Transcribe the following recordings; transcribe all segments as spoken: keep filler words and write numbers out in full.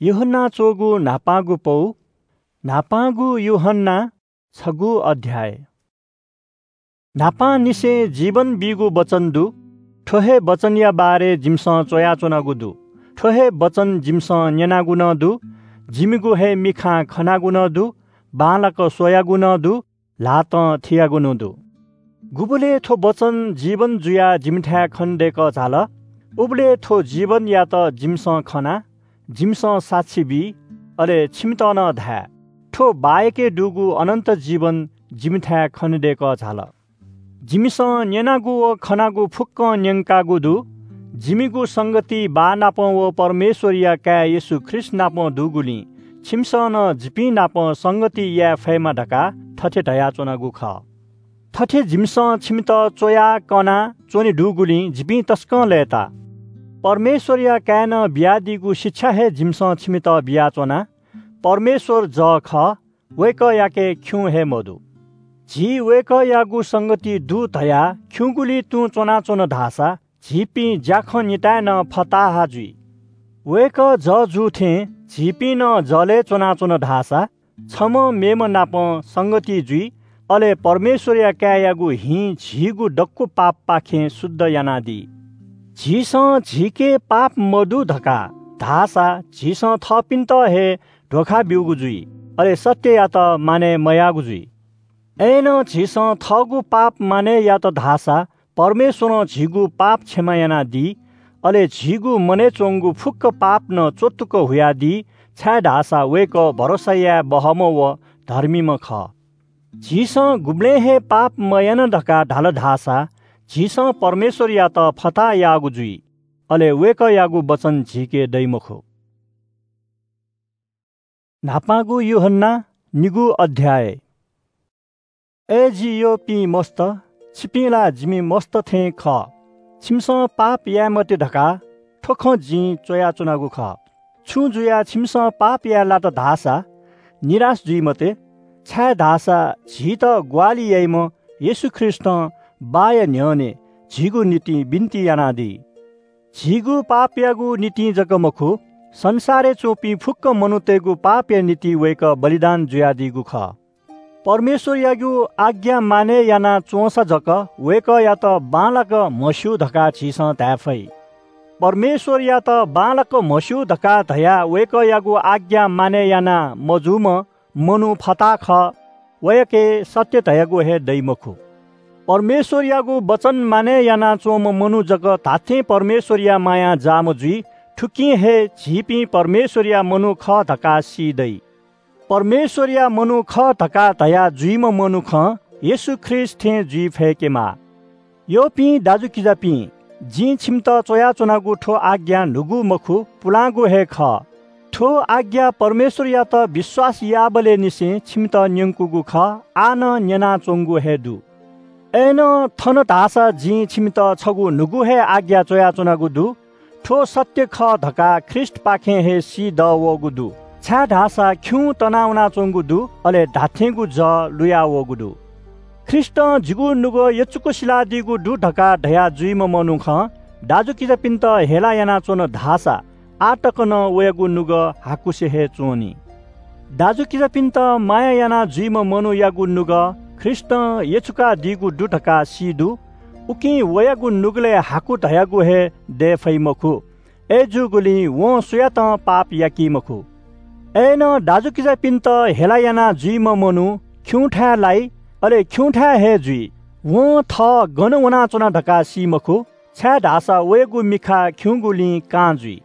यूहन्ना च्वःगु न्हापांगु पौ, न्हापांगु यूहन्ना, छगू अध्याय। न्हापांनिसें जीवन बीगु वचन दु। थ्व हे वचनया बारे जिमिसं च्वयाच्वनागु दु। थ्व हे वचन जिमिसं न्यनागु नं दु, जिमिगु हे मिखां खनागु नं दु, बांलाक स्वयागु नं दु, ल्हातं थियागु नं दु। गुबलय् थ्व वचन जीवन जुयाः जिमिथाय् खनेदय्कः झाल, उबलय् थ्व जीवनयात जिमिसं खना, जिमिसं साक्षी बी, अले छिमित नं धाये, थ्व बाःयाके दुगु अनन्त जीवन जिमिथाय् खनेदय्कः झाल। जिमिसं न्यनागु व खनागु फुक्कं न्यंकागु दु। जिमिगु संगति बाः नाप व परमेश्वरया काय् येशू ख्रीष्ट नाप दुगुलिं छिमिसं नं जिपिं नाप संगति याये फयेमा धकाः थथे धयाच्वनागु खः। थथे जिमिसं छिमित च्वयाः कनाः च्वने दुगुलिं जिपिं तसकं लय्ताः। परमेश्वरया काय्‌नं बियादीगु शिक्षा हे जिमिसं छिमित बियाच्वना। परमेश्वर जः खः, वय्कःयाके खिउँ हे मदु। झी वय्कःयागु संगति दु धयाः खिउँगुलिइ तुं च्वनाच्वन धाःसा झीपिं ज्याखँ निताय् नं फताहा जुइ। वय्कः जः जू थें झीपिं नं जलय् च्वनाच्वन धाःसा छम्हं मेम्ह नाप संगति जुइ, अले परमेश्वरया काय्‌यागु हिं झीगु दक्व पापपाखें शुद्ध यानादी। झीसं झीके पाप मदु धकाः धाःसा झीसं थःपिन्त हे धोखा ब्यूगु जुइ, अले सत्ययात मानय् मयाःगु जुइ। अय्‌नं झीसं थःगु पाप मानय् यात धाःसा परमेश्वरं झीगु पाप क्षमा यानादी, अले झीगु मनय् च्वंगु फुक्क पाप नं च्वतुक हुयादी, छाय्‌धाःसा वय्कः भरोसा याये बहःम्ह व धर्मीम्ह खः। झीसं गुबलें हे पाप मयाना धकाः धाल धाःसा झीसं परमेश्वरयात फताहा याःगु जुइ, अले वय्कःयागु वचन झीके दइ मखु। न्हापांगु यूहन्ना, निगू अध्याय। अय् जि यःपिं मस्त, छिपिं ला जिमि मस्त थें खः। छिमिसं पाप याये मते धकाः थ्व खँ जिं च्वयाच्वनागु खः। छुं जुयाः छिमिसं पाप याये लात धाःसा निराश जुइ मते, छाय्‌धाःसा झीत ग्वाहालि याइम्ह येशू ख्रीष्टं बाःया न्ह्यःने झीगु निंतिं बिन्ति यानादी। झीगु पापयागु निंतिं जक मखु, संसारय् च्वंपिं फुक्क मनूतय्‌गु पापया निंतिं वय्कः बलिदान जुयादीगु खः। परमेश्वरयागु आज्ञा मानय् याना च्वंसा जक वय्कःयात बांलाक म्हस्यू धकाः झीसं धाये फइ। परमेश्वरयात बांलाक म्हस्यू धकाः धयाः वय्कःयागु आज्ञा मानय् याना मजूम्ह मनू फताहा खः, वयाके सत्य धयागु हे दइ मखु। परमेश्वरयागु वचन मानय् यानाच्वंम्ह मनू जक धात्थें परमेश्वरया मायां जाःम्ह जुइ। थुकिं हे झीपिं परमेश्वरया मनू खः धकाः सी दइ। परमेश्वरया मनू खः धकाः धया जुइम्ह मनुखं येशू ख्रीष्ट थें जुइ फय्केमाः। यःपिं दाजुकिजापिं, जिं छिमित च्वयाच्वनागु थ्व आज्ञा न्हूगु मखु, पुलांगु हे खः। थ्व आज्ञा परमेश्वरयात विश्वास याःबलय् निसें छिमित न्यंकूगु खः, आः नं न्यनाच्वंगु हे दु। अय्‌नं थन धाःसा जिं छिमित छगू न्हूगु हे आज्ञा च्वयाच्वनागु दु। थ्व सत्य खः धकाः ख्रीष्टपाखें हे सी दःवःगु दु, छाय्‌धाःसा खिउँ तनावनाच्वंगु दु, अले धात्थेंगु जः लुयावःगु दु। ख्रीष्टं जिगु नुगः यचुक सिलादीगु दु धकाः धया जुइम्ह मनुखं दाजुकिजापिन्त हेला यानाच्वन धाःसा आः तक नं वयागु नुगः हाकुसे हे च्वनी। दाजुकिजापिन्त माया याना जुइम्ह मनूयागु नुगः ख्रीष्टं यचुकादीगु दु धकाः सी दु, उकिं वयागु नुगलय् हाकु धयागु हे दये फइ मखु। अय्‌जूगुलिं वं सुयातं पाप याकी मखु। अय्‌नं दाजुकिजापिन्त हेला याना जुइम्ह मनू खिउँथाय् लाइ, अले खिउँथाय् हे जुइ। वं थः गन वनाच्वना धकाः सी मखु, छाय्‌धाःसा वयागु मिखा खिउँगुलिं कां जुइ।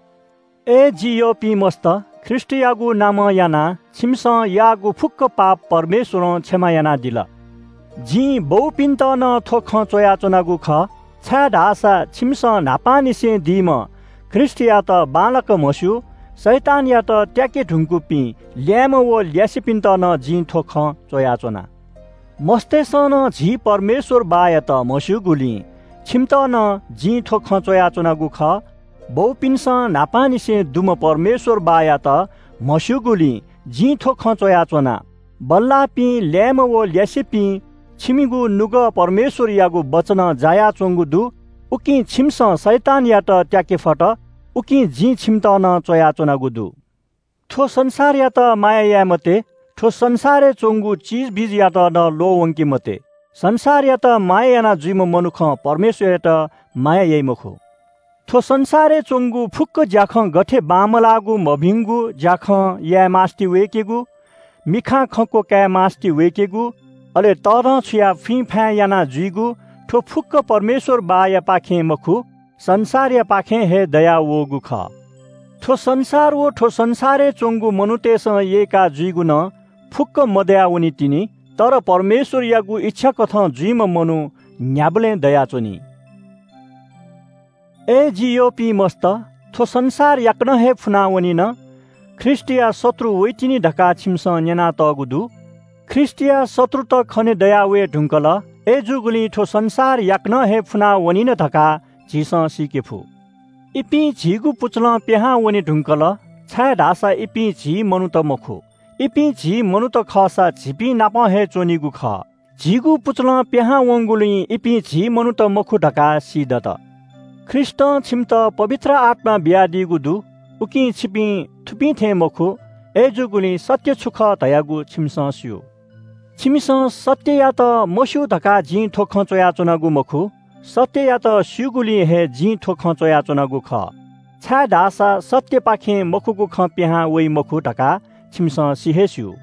अय् जि यःपिं मस्त, ख्रीष्टयागु नामं यानाः छिमिसं याःगु फुक्क पाप परमेश्वरं क्षमा यानादिल। जिं बौपिन्त नं थ्व खँ च्वयाच्वनागु खः, छाय्‌धाःसा छिमिसं न्हापांनिसें दीम्ह ख्रीष्टयात बांलाक म्हस्यू, शैतानयात त्याके धुंकूपिं ल्याय्म्ह व ल्यासेपिन्त नं जिं थ्व खँ च्वयाच्वना। मस्तय्‌सं नं झी परमेश्वर बाःयात म्हस्यूगुलिं छिमित नं जिं थ्व खँ च्वयाच्वनागु खः। बौपिन्सं न्हापांनिसें दुम्ह परमेश्वर बाःयात म्हस्यूगुलिं जिं थ्व खँ च्वयाच्वना। बल्लाःपिं ल्याय्म्ह व ल्यासेपिं, छिमिगु नुगः परमेश्वरयागु वचनं जायाच्वंगु दु। उकिं छिमिसं शैतानयात त्याके फत। उकिं जिं छिमित नं च्वयाच्वनागु दु। थ्व संसारयात माया याये मते, थ्व संसारय् च्वंगु चिजबिजयात नं ल्वःवंके मते। संसारयात माया याना जुइम्ह मनुखं परमेश्वरयात माया याइ मखु। थ्व संसारय् च्वंगु फुक्क ज्याखँ गथे बांमलाःगु मभिंगु ज्याखँ याये मास्ति वय्केगु, मिखां खंक्व काये मास्ति वय्केगु, अले तःधंछुयाः फुइँफाँय् याना जुइगु, थ्व फुक्क परमेश्वर बाःयापाखें मखु, संसारयापाखें हे दयावःगु खः। थ्व संसार व थ्व संसारय् च्वंगु मनूतय्सं यय्का जुइगु नं फुक्क मदयावनी तिनि, तर परमेश्वरयागु इच्छाकथं जुइम्ह मनू न्ह्याबलें दयाच्वनी। अय् जि यःपिं मस्त, थ्व संसार याकनं हे फुनावनिन, ख्रीष्टया शत्रु वइतिनि धकाः छिमिसं न्यनातःगु दु। ख्रीष्टया शत्रुत खने दयावये धुंकल, अय्जूगुलिं थ्व संसार याकनं हे फुनावनिन धकाः झीसं सीके फु। इपिं झीगु पुचलं पिहां वने धुंकल, छाय्धाःसा इपिं झी मनूत मखु। इपिं झी मनूत खःसा झीपिं नाप हे च्वनीगु खः। झीगु पुचलं पिहां वंगुलिं इपिं झी मनूत मखु धकाः सी दत। ख्रीष्टं छिमित पवित्र आत्मा बियादीगु दु, उकिं छिपिं थुपिं थें मखु, अय्जूगुलिं सत्य छु खः धयागु छिमिसं स्यू। छिमिसं सत्ययात मस्यू धकाः जिं थ्व खँ च्वयाच्वनागु मखु, सत्ययात स्यूगुलिं हे जिं थ्व खँ च्वयाच्वनागु खः, छाय्धाःसा सत्यपाखें मखुगु खँ पिहां वइ मखु धकाः छिमिसं सि हे स्यू।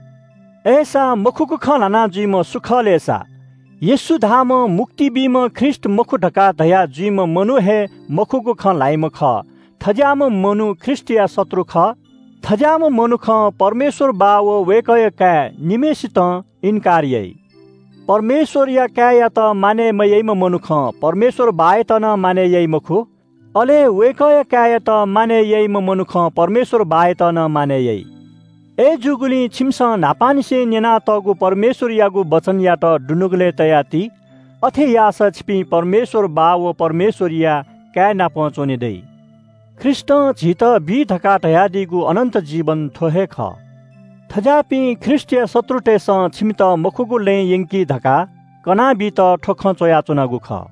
अय्सा मखुगु खँ ल्हाना जुइम्ह सु खः लय्सा? येशू धाःम्ह मुक्ति बीम्ह ख्रीष्ट मखु धकाः धया जुइम्ह मनू हे मखुगु खँ ल्हाइम्ह खः। थज्याःम्ह मनू ख्रीष्टया शत्रु खः। थज्याःम्ह मनुखं परमेश्वर बाः व वय्कःया काय् निम्हय्सितं इन्कार याइ। परमेश्वरया काय्‌यात मानय् मयाइम्ह मनुखं परमेश्वर बाःयात नं मानय् याइ मखु, अले वय्कःया काय्‌यात मानय् याइम्ह मनुखं परमेश्वर बाःयात नं मानय् याइ। अय्‌जूगुलिं छिमिसं न्हापांनिसें न्यनातःगु परमेश्वरयागु वचनयात दुनुगलय् तयाति। अथे याःसा छिपिं परमेश्वर बाः व परमेश्वरया काय् नाप च्वने दइ। ख्रीष्टं झीत बी धकाः धयादीगु अनन्त जीवन थ्व हे खः। थज्याःपिं ख्रीष्टया शत्रुतय्‌सं छिमित मखुगु लँय् यंकी धकाः कनाबीत थ्व खँ च्वयाच्वनागु खः।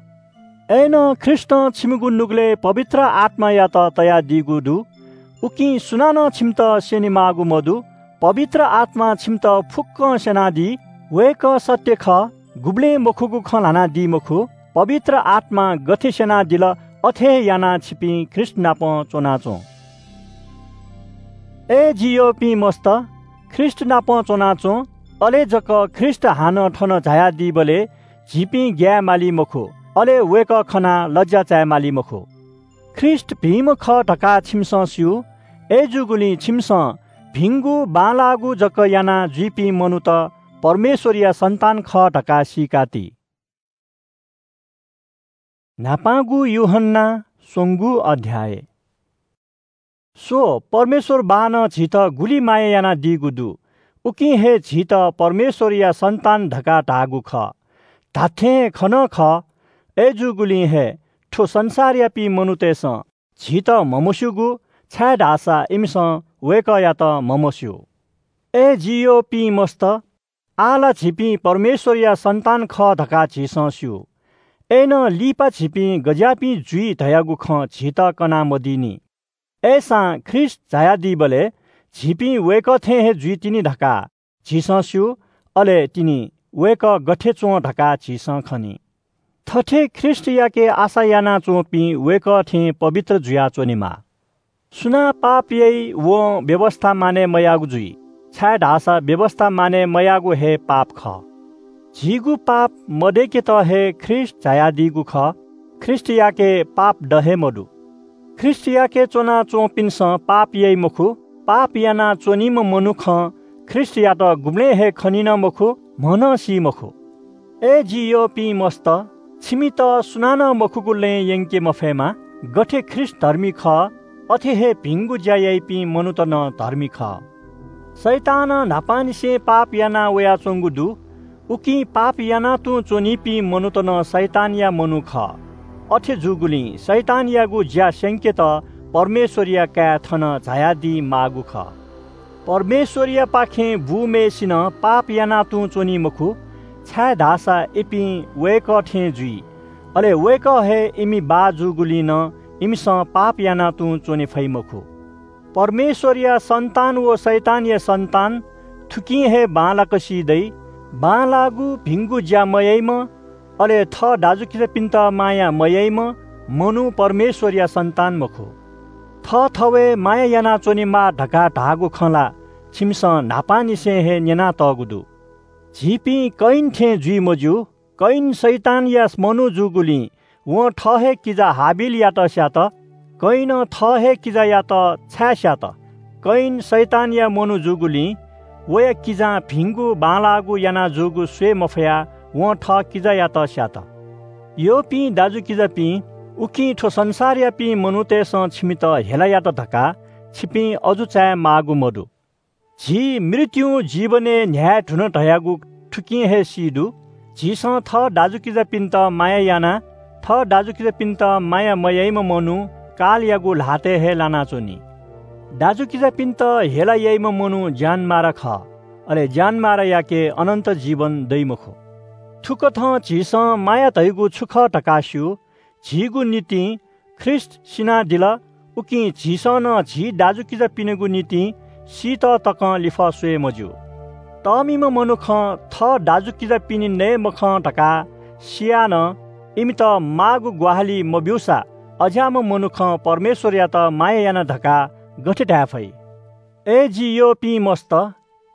अय्‌नं ख्रीष्टं छिमिगु नुगलय् पवित्र आत्मायात तयादीगु दु। उकिं सुनानं छिमित स्यनेमाःगु मदु। पवित्र आत्मां छिमित फुक्कं स्यनादी। वय्‌कः सत्य खः, गुबलें मखुगु खँ ल्हानादी मखु। पवित्र आत्मां गथे स्यनादिल, अथे हे यानाः छिपिं ख्रीष्ट नाप च्वनाच्वँ। अय् जि यःपिं मस्त, ख्रीष्ट नाप च्वनाच्वँ, अले जक ख्रीष्ट हानं थन झायादीबलय् झीपिं ग्याये माली मखु, अले वय्‌कः खनाः लज्या चाये माली मखु। ख्रीष्ट भिंम्ह खः धकाः छिमिसं स्यू। अय्‌जूगुलिं छिमिसं भिंगु बांलाःगु जक याना जुइपिं मनूत परमेश्वरया सन्तान खः धकाः सीकाति। न्हापांगु यूहन्ना स्वंगू अध्याय। स्व, परमेश्वर बाःनं झीत गुलि माया यानादीगु दु, उकिं हे झीत परमेश्वरया सन्तान धकाः धाःगु खः। धात्थें हे खँ नं खः। अय्‌जूगुलिं हे थ्व संसारयापिं मनूतय्‌सं झीत म्हमस्यूगु, छाय्‌धाःसा इमिसं वय्‌कःयात म्हमस्यू। अय् जि यःपिं मस्त, आः ला झीपिं परमेश्वरया सन्तान खः धकाः झीसं स्यू। अय्‌नं लिपा झीपिं गज्याःपिं जुइ धयागु खँ झीत कनामदीनि। अय्‌सां ख्रीष्ट झायादीबलय् झीपिं वय्‌कः थें हे जुइतिनि धकाः झीसं स्यू, अले तिनि वय्‌कः गथे च्वं धकाः झीसं खनी। थथे ख्रीष्टयाके आशा यानाच्वंपिं वय्‌कः थें पवित्र जुयाच्वनेमाः। सुनां पाप याइ, वं व्‍यवस्‍था मानय् मयाःगु जुइ, छाय्‌धाःसा व्‍यवस्‍था मानय् मयाःगु हे पाप खः। झीगु पाप मदय्‌केत हे ख्रीष्‍ट झायादीगु खः। ख्रीष्‍टयाके पाप द हे मदु। ख्रीष्‍टयाके च्‍वनाच्‍वंपिन्‍सं पाप याइ मखु। पाप यानाच्‍वनीम्‍ह मनुखं ख्रीष्‍टयात गुबलें हे खनी नं मखु, म्‍ह नं सी मखु। अय् जि यःपिं मस्त, छिमित सुनानं मखुगु लँय् यंके मफयेमा। गथे ख्रीष्‍ट धर्मी खः, अथे हे भिंगु ज्‍या याइपिं मनूत नं धर्मी खः। शैतानं न्‍हापांनिसें पाप याना वयाच्‍वंगु दु, उकिं पाप याना तुं च्‍वनीपिं मनूत नं शैतानया मनू खः। अथे जूगुलिं शैतानयागु ज्‍या स्‍यंकेत परमेश्‍वरया काय् थन झायादी माःगु खः। परमेश्‍वरयापाखें बूम्‍हय्‌सिनं पाप याना तुं च्‍वनी मखु, छाय्‌धाःसा इपिं वय्‌कः थें जुइ। अले वय्‌कः हे इमि बाः जूगुलिं नं इमिसं पाप याना तुं च्‍वने फइ मखु। परमेश्वरया सन्तान व शैतानया सन्तान थुकिं हे बांलाक सी दइ। बांलाःगु भिंगु ज्या मयाइम्ह, अले थः दाजुकिजापिन्त माया मयाइम्ह मनू परमेश्वरया सन्तान मखु। थःथवय् माया यानाच्वनेमाः धकाः धाःगु खँ ला छिमिसं न्हापांनिसें हे न्यनातःगु दु। झीपिं कयिन थें जुइ मज्यू। कयिन शैतानया मनू जूगुलिं वं थः हे किजा हाबिलयात स्यात। कयिनं थः हे किजायात छाय् स्यात? कयिन शैतानया मनू जूगुलिं वया किजां भिंगु बांलाःगु याना जूगु स्वये मफयाः वं थः किजायात स्यात। यःपिं दाजुकिजापिं, उकिं थ्व संसारयापिं मनूतय्सं छिमित हेला यात धकाः छिपिं अजू चाये माःगु मदु। झी मृत्युं जीवनय् न्ह्याये धुन धयागु थुकिं हे सी दु। झीसं थः दाजुकिजापिन्त माया यानाः थः दाजुकिजापिन्त माया मयाइम्ह मनू कालयागु ल्हातय् हे लानाच्वनी। दाजुकिजापिन्त हेला याइम्ह मनू ज्यानमारा खः, अले ज्यानमारायाके अनन्त जीवन दइ मखु। थुकथं झीसं माया धइगु छु खः धकाः स्यू। झीगु निंतिं ख्रीष्ट सिनादिल, उकिं झीसं नं झी दाजुकिजापिनिगु निंतिं सीत तकं लिफः स्वये मज्यू। तःमिम्ह मनुखं थः दाजुकिजापिनि नये मखं धकाः सियाः नं इमित माःगु ग्वाहालि मब्यूसा, अज्याःम्ह मनुखं परमेश्वरयात माया याना धकाः गथे धाये फइ? अय् जि यःपिं मस्त,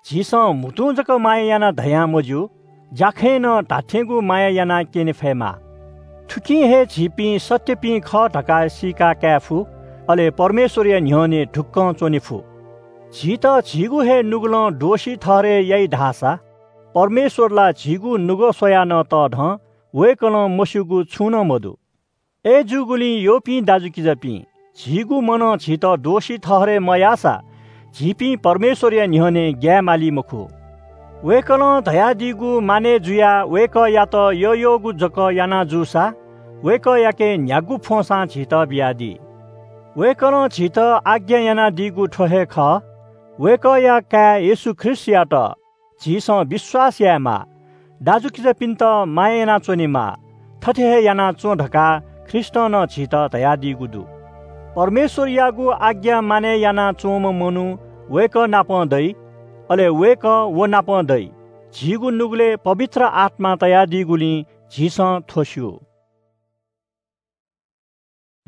झीसं म्हुतुं जक माया यानाः धयां मज्यू, ज्याखँय् नं धात्थेंगु माया यानाः क्यने फयेमाः। थुकिं हे झीपिं सत्‍यपिं खः धकाः सीका काये फु, अले परमेश्वरया न्‍ह्यःने ढुक्‍कं च्‍वने फु। झीत झीगु हे नुगलं दोषी ठहरय् याइ धाःसा, परमेश्वर ला झीगु नुगः स्वयाः नं तःधं, वय्‌कलं मस्‍यूगु छुं नं मदु। अय्‌जूगुलिं यःपिं दाजुकिजापिं, झीगु मनं झीत दोषी ठहरय् मयाःसा, झीपिं परमेश्वरया न्‍ह्यःने ग्‍याये माली मखु। वय्‌कलं धयादीगु मानय् जुयाः वय्‌कःयात यःयःगु जक याना जूसा, वय्‌कःयाके न्‍ह्यागु फ्‍वंसां झीत बियादी। वय्‌कलं झीत आज्ञा यानादीगु थ्‍व हे खः, वय्‌कःया काय् येशू ख्रीष्‍टयात झीसं विश्‍वास यायेमाः, दाजुकिजापिन्‍त माया यानाच्‍वनेमाः, थथे हे यानाच्‍वँ धकाः ख्रीष्‍टं नं झीत धयादीगु दु। परमेश्‍वरयागु आज्ञा मानय् यानाच्‍वंम्‍ह मनू वय्‌कः नाप दइ, अले वय्‌कः व नाप दइ। झीगु नुगलय् पवित्र आत्‍मा तयादीगुलिं झीसं थ्‍व स्‍यू।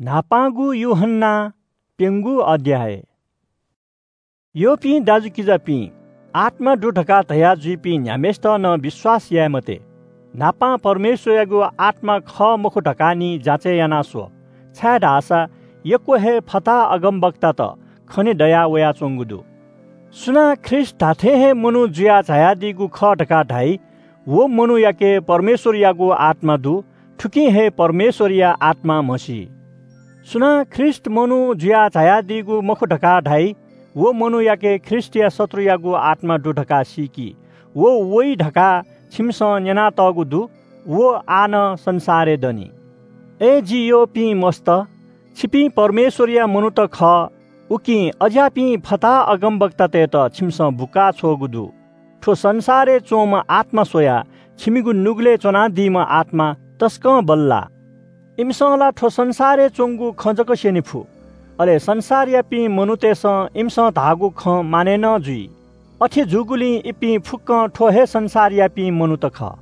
न्‍हापांगु यूहन्‍ना, प्‍यंगू अध्‍याय। यःपिं दाजुकिजापिं, आत्‍मा दु धकाः धया जुइपिं न्‍ह्याम्‍हय्‌सित नं विश्‍वास याये मते। न्‍हापां परमेश्‍वरयागु आत्‍मा खः मखु धकाः निं जाँचय् याना स्‍व, छाय्‌धाःसा यक्‍व हे फताहा अगमवक्तात खने दया वयाच्‍वंगु दु। सुनां ख्रीष्‍ट धात्‍थें हे मनू जुयाः झायादीगु खः धकाः धाइ, व मनूयाके परमेश्‍वरयागु आत्‍मा दु, थुकिं हे परमेश्‍वरया आत्‍मा म्हसी। सुनां ख्रीष्‍ट मनू जुयाः झायादीगु मखु धकाः धाइ, व मनूयाके ख्रीष्‍टया शत्रुयागु आत्‍मा दु धकाः सीकि। व वइ धकाः छिमिसं न्‍यनातःगु दु, व आः नं संसारय् दनि। अय् जि यःपिं मस्त, छिपिं परमेश्‍वरया मनूत खः, उकिं अज्‍याःपिं फताहा अगमवक्तातय्‌त छिमिसं बुका छ्वःगु दु। थ्‍व संसारय् च्‍वंम्‍ह आत्‍मा स्‍वयाः छिमिगु नुगलय् च्‍वनादीम्‍ह आत्‍मा तसकं बल्‍लाः। इमिसं ला थ्‍व संसारय् च्‍वंगु खँ जक स्‍यने फु, अले संसारयापिं मनूतय्‌सं इमिसं धाःगु खँ मानय् नं जुइ। अथे जूगुलिं इपिं फुक्‍कं थ्‍व हे संसारयापिं मनूत खः।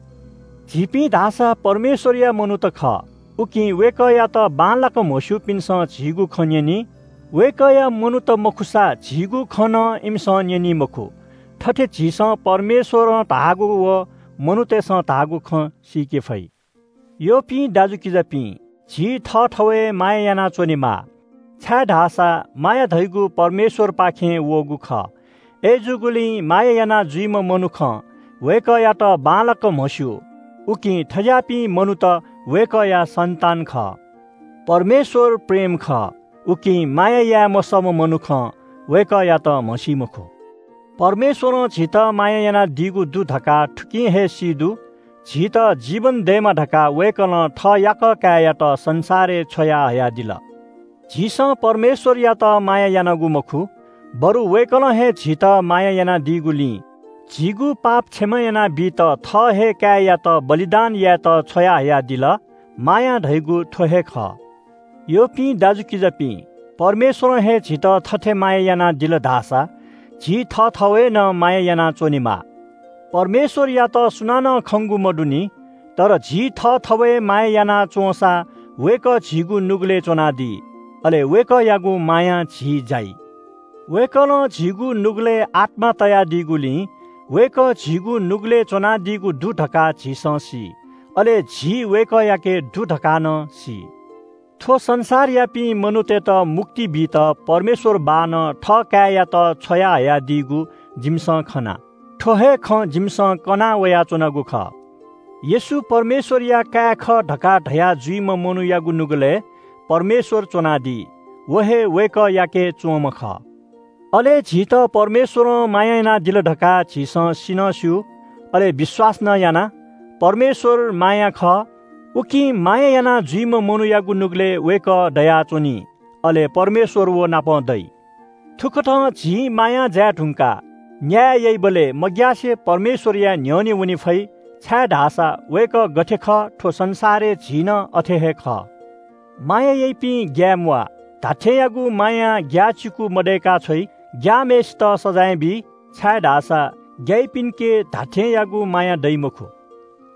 झीपिं धाःसा परमेश्‍वरया मनूत खः, उकिं वय्‌कःयात बांलाक म्हस्‍यूपिन्‍सं झीगु खँ न्‍यनी। वय्‌कःया मनूत मखुसा झीगु खँ नं इमिसं न्‍यनी मखु। थथे झीसं परमेश्‍वरं धाःगु व मनूतय्‌सं धाःगु खँ सीके फइ। यःपिं दाजुकिजापिं, झी थःथवय् माया यानाच्‍वनेमाः, छाय्‌धाःसा माया धइगु परमेश्‍वरपाखें वःगु खः। अय्‌जूगुलिं माया याना जुइम्‍ह मनुखं वय्‌कःयात बांलाक म्हस्‍यू, उकिं थज्‍याःपिं मनूत वय्‌कःया सन्‍तान खः। परमेश्‍वर प्रेम खः, उकिं माया याये मसःम्‍ह मनुखं वय्‌कःयात म्हसी मखु। परमेश्‍वरं झीत माया यानादीगु दु धकाः थुकिं हे सी दु, झीत जीवन दयेमा धकाः वय्‌कलं थः याकः काय्‌यात संसारय् छ्वया हयादिल। झीसं परमेश्‍वरयात माया यानागु मखु, बरु वय्‌कलं हे झीत माया यानादीगुलिं झीगु पाप क्षमा यानाबीत थः हे काय्‌यात बलिदान यायेत छ्वया हयादिल। माया धइगु थ्‍व हे खः। यःपिं दाजुकिजापिं, परमेश्वरं हे झीत थथे माया यानादिल धाःसा झी थःथवय् नं माया यानाच्वनेमाः। परमेश्वरयात सुनानं खंगु मदुनि, तर झी थःथवय् माया यानाच्वंसा वय्कः झीगु नुगलय् च्वनादी, अले वय्कःयागु मायां झी जाइ। वय्कलं झीगु नुगलय् आत्मा तयादीगुलिं वय्कः झीगु नुगलय् च्वनादीगु दु धकाः झीसं सी, अले झी वय्कःयाके दु धकाः नं सी। थ्व संसारयापिं मनूतय्त मुक्ति बीत परमेश्वर बाःनं थः काय्‌यात छ्वया हयादीगु जिमिसं खना। थ्व हे खँ जिमिसं कना वयाच्वनागु खः। येशू परमेश्वरया काय् खः धकाः धया जुइम्ह मनूयागु नुगलय् परमेश्वर च्वनादी, व हे वय्कःयाके च्वंम्ह खः। अले झीत परमेश्वरं माया यानादिल धकाः झीसं सिनं स्यू, अले विश्वास नं याना। परमेश्वर माया खः, उकिं माया याना जुइम्ह मनूयागु नुगलय् वय्कः दयाच्वनी, अले परमेश्वर व नाप दइ। थुकथं झी मायां जाये धुंकाः न्याय याइबलय् मग्यासे परमेश्वरया न्ह्यःने वने फइ, छाय्धाःसा वय्कः गथे खः, थ्व संसारय् झी नं अथे हे खः। माया याइपिं, ग्याये म्वाः। धात्थेंयागु मायां ग्याःचिकु मदय्का छ्वइ। ग्याःम्हय्सित सजाँय बी, छाय्धाःसा ग्याइपिन्के धात्थेंयागु माया दइ मखु।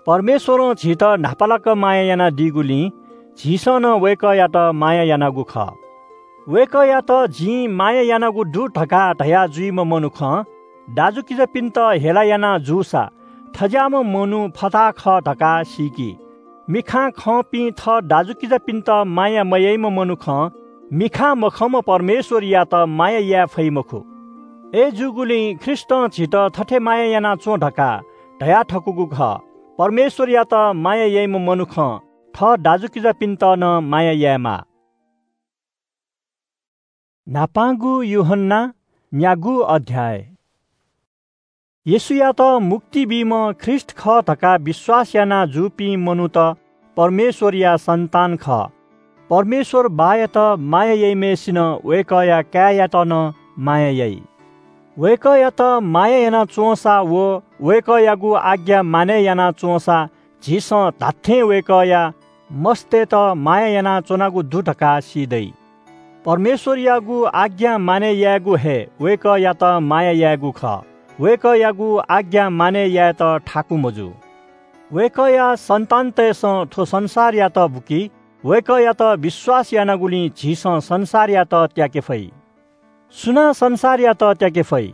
परमेश्वरं झीत न्हापालाक माया यानादीगुलिं झीसं नं वय्कःयात माया यानागु खः। वय्कःयात जिं माया यानागु दु धकाः धया जुइम्ह मनुखं दाजुकिजापिन्त हेला याना जूसा, थज्याःम्ह मनू फताहा खः धकाः सीकि। मिखां खंपिं थः दाजुकिजापिन्त माया मयाइम्ह मनुखं मिखां मखंम्ह परमेश्वरयात माया याये फइ मखु। अय्जूगुलिं ख्रीष्टं झीत थथे माया याना च्वँ धकाः धया थकूगु खः। परमेश्वरयात माया याइम्ह मनुखं थः दाजुकिजापिन्त नं माया यायेमाः। न्हापांगु यूहन्ना, न्यागू अध्याय। येशूयात मुक्ति बीम्ह ख्रीष्ट खः धकाः विश्वास याना जूपिं मनूत परमेश्वरया सन्तान खः। परमेश्वर बाःयात माया याइम्हय्सिनं वय्कःया काय्‌यात नं माया याइ। वय्कःयात माया याना च्वंसा व वय्कःयागु आज्ञा मानय् याना च्वंसा झीसं धात्थें वय्कःया मस्तय्त माया यानाच्वनागु दु धकाः सी दइ। परमेश्वरयागु आज्ञा मानय् यायेगु हे वय्कःयात माया यायेगु खः। वय्कःयागु आज्ञा मानय् यायेत थाकु मजू। वय्कःया सन्तानतय्सं थ्व संसारयात बुकी। वय्कःयात विश्वास यानागुलिं झीसं संसारयात त्याके फइ। सुनां संसारयात त्याके फइ?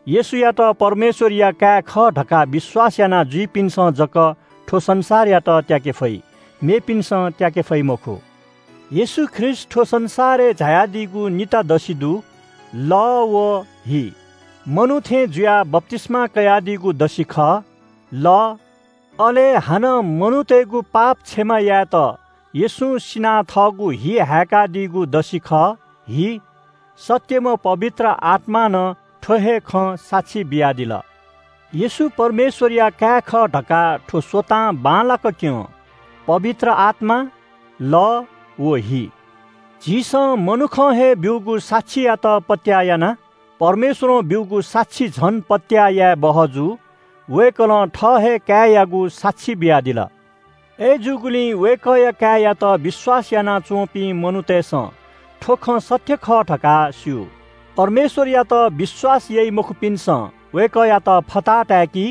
येशूयात परमेश्वरया काय् खः धकाः विश्वास याना जुइपिन्सं जक थ्व संसारयात त्याके फइ, मेपिन्सं त्याके फइ मखु। येशू ख्रीष्ट थ्व संसारय् झायादीगु निता दसि दु, लः व हि। मनू थें जुयाः बप्तिस्मा कयादीगु दसि खः, लः। अले हानं मनूतय्गु पाप क्षमा यायेत येशूं सिनाः थःगु हि हाय्कादीगु दसि खः, हि। सत्यम्ह पवित्र आत्मां नं थ्व हे खँ साक्षी बियादिल। येशू परमेश्वरया काय् खः धकाः थ्व स्वतां बांलाक क्यं, पवित्र आत्मा, लः व हि। झीसं मनुखं हे ब्यूगु साक्षीयात पत्याः याना, परमेश्वरं ब्यूगु साक्षी झन पत्याः याये बहःजू। वय्कलं थः हे काय्‌यागु साक्षी बियादिल। अय्जूगुलिं वय्कःया काय्‌यात विश्वास यानाच्वंपिं मनूतय्सं थ्व खँ सत्य खः धकाः स्यू। परमेश्वरयात विश्वास याइ मखुपिन्सं वय्कःयात फताहा ताय्‌की,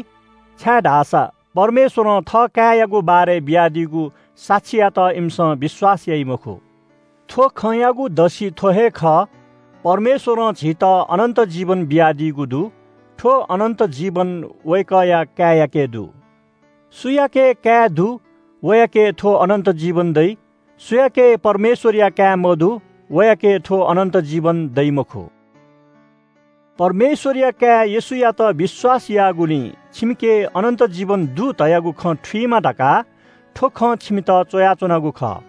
छाय्धाःसा परमेश्वरं थः काय्‌यागु बारे बियादीगु साक्षीयात इमिसं विश्वास याइ मखु। थ्व खँयागु दसि थ्व हे खः, परमेश्वरं झीत अनन्त जीवन बियादीगु दु। थ्व अनन्त जीवन वय्कःया काय्‌याके दु। सुयाके काय् दु, वयाके थ्व अनन्त जीवन दइ। सुयाके परमेश्वरया काय् मदु, वयाके थ्व अनन्त जीवन दइ मखु। परमेश्वरया काय् येशूयात विश्वास याःगुलिं छिमिके अनन्त जीवन दु धयागु खँ थुइमा धकाः थ्व खँ छिमित च्वयाच्वनागु खः।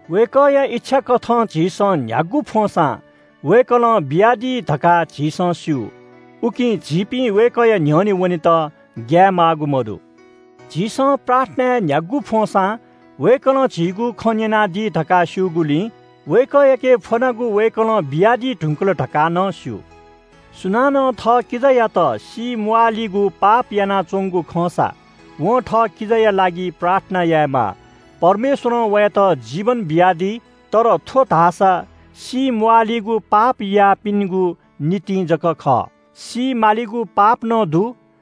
वय्कःया इच्छाकथं झीसं न्ह्यागु फ्वंसां वय्कलं बियादी धकाः झीसं स्यू। उकिं झीपिं वय्कःया न्ह्यःने वनेत ग्याये माःगु मदु। झीसं प्रार्थनाय् न्ह्यागु फ्वंसां वय्कलं झीगु खँ न्यनादी धकाः स्यूगुलिं वय्कःयाके फ्वनागु वय्कलं बियादी धुंकल धकाः नं स्यू। सुनानं थः किजायात सी म्वाःलिगु पाप यानाच्वंगु खंसा वं थः किजाया लागि प्रार्थना यायेमाः। परमेश्वरं वयात जीवन बियादी, तर थ्व धाःसा सी म्वालीगु पाप याःपिनिगु निंतिं जक खः। सी मालीगु पाप नं दु,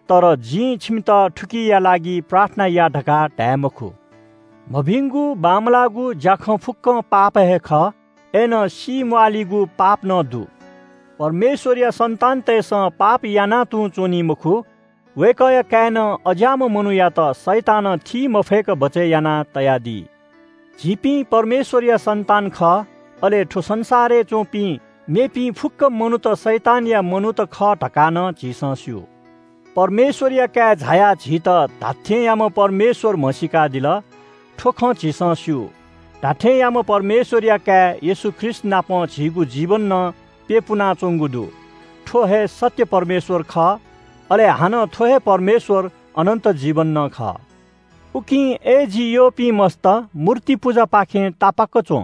तर जिं छिमित थुकिया लागि प्रार्थना या धकाः धाये मखु। मभिंगु बांमलाःगु ज्याखँ फुक्कं पाप हे खः, अय्‌नं सी म्वालीगु पाप नं दु। परमेश्वरया सन्तानतय्‌सं पाप याना तुं च्वनी मखु। वय्‌कःया काय्‌नं अज्याःम्ह मनूयात शैतानं थी मफय्‌क बचय् याना तयादी। झीपिं परमेश्वरया सन्तान खः, अले थ्व संसारय् च्वंपिं मेपिं फुक्क मनूत शैतानया मनूत खः धकाः नं झीसं स्यू। परमेश्वरया काय् झायाः झीत धात्थेंयाम्ह परमेश्वर म्हसीकादिल। थ्व खँ झीसं स्यू, धात्थेंयाम्ह परमेश्वरया काय् येशू ख्रीष्ट नाप झीगु जीवन नं प्यपुनाच्वंगु दु। थ्व हे सत्य परमेश्वर खः, अले हानं थ्व हे परमेश्वर अनन्त जीवन नं खः। उकिं अय् जि यःपिं मस्त, मूर्ति पुजापाखें तापाक्क च्वँ।